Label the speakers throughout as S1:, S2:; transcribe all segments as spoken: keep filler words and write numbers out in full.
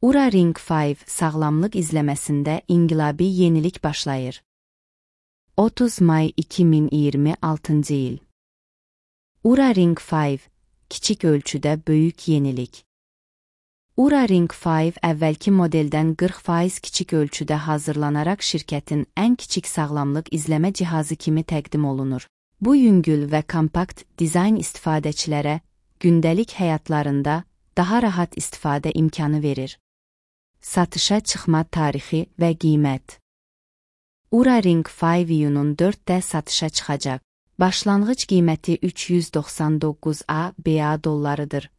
S1: Oura Ring beş sağlamlıq izləməsində inqilabi yenilik başlayır. otuz may iki min iyirmi altıncı il. Oura Ring beş kiçik ölçüdə böyük yenilik. Oura Ring beş əvvəlki modeldən qırx faiz kiçik ölçüdə hazırlanaraq şirkətin ən kiçik sağlamlıq izləmə cihazı kimi təqdim olunur. Bu yüngül və kompakt dizayn istifadəçilərə gündəlik həyatlarında daha rahat istifadə imkanı verir. Satışa çıxma tarixi və qiymət. Oura Ring beş iyunun dörddə satışa çıxacaq. Başlanğıc qiyməti üç yüz doxsan doqquz A B A dollarıdır.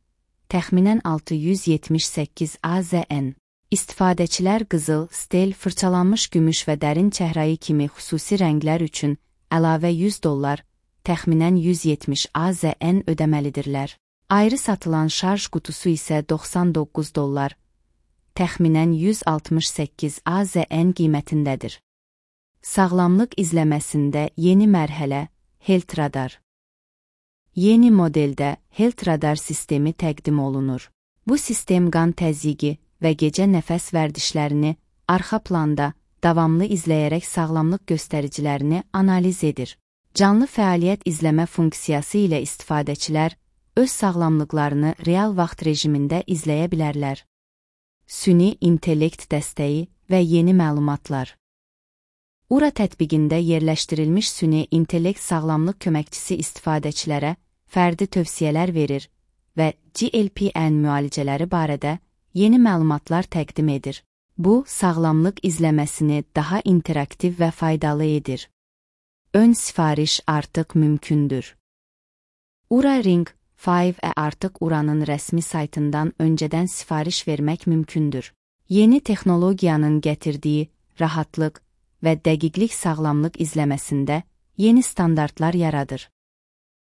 S1: Təxminən altı yüz yetmiş səkkiz A Z N. İstifadəçilər qızıl, stel, fırçalanmış gümüş və dərin çəhrayı kimi xüsusi rənglər üçün əlavə yüz dollar, təxminən yüz yetmiş A Z N ödəməlidirlər. Ayrı satılan şarj qutusu isə doxsan doqquz dollar, təxminən yüz altmış səkkiz A Z N qiymətindədir. Sağlamlıq izləməsində yeni mərhələ, Health Radar. Yeni modeldə Health Radar sistemi təqdim olunur. Bu sistem qan təzyiqi və gecə nəfəs vərdişlərini arxa planda davamlı izləyərək sağlamlıq göstəricilərini analiz edir. Canlı fəaliyyət izləmə funksiyası ilə istifadəçilər öz sağlamlıqlarını real vaxt rejimində izləyə bilərlər. Süni intellekt dəstəyi və yeni məlumatlar. Oura tətbiqində yerləşdirilmiş süni intellekt sağlamlıq köməkçisi istifadəçilərə fərdi tövsiyələr verir və G L P N müalicələri barədə yeni məlumatlar təqdim edir. Bu, sağlamlıq izləməsini daha interaktiv və faydalı edir. Ön sifariş artıq mümkündür. Oura Ring beş artıq Ouranın rəsmi saytından öncədən sifariş vermək mümkündür. Yeni texnologiyanın gətirdiyi rahatlıq və dəqiqlik sağlamlıq izləməsində yeni standartlar yaradır.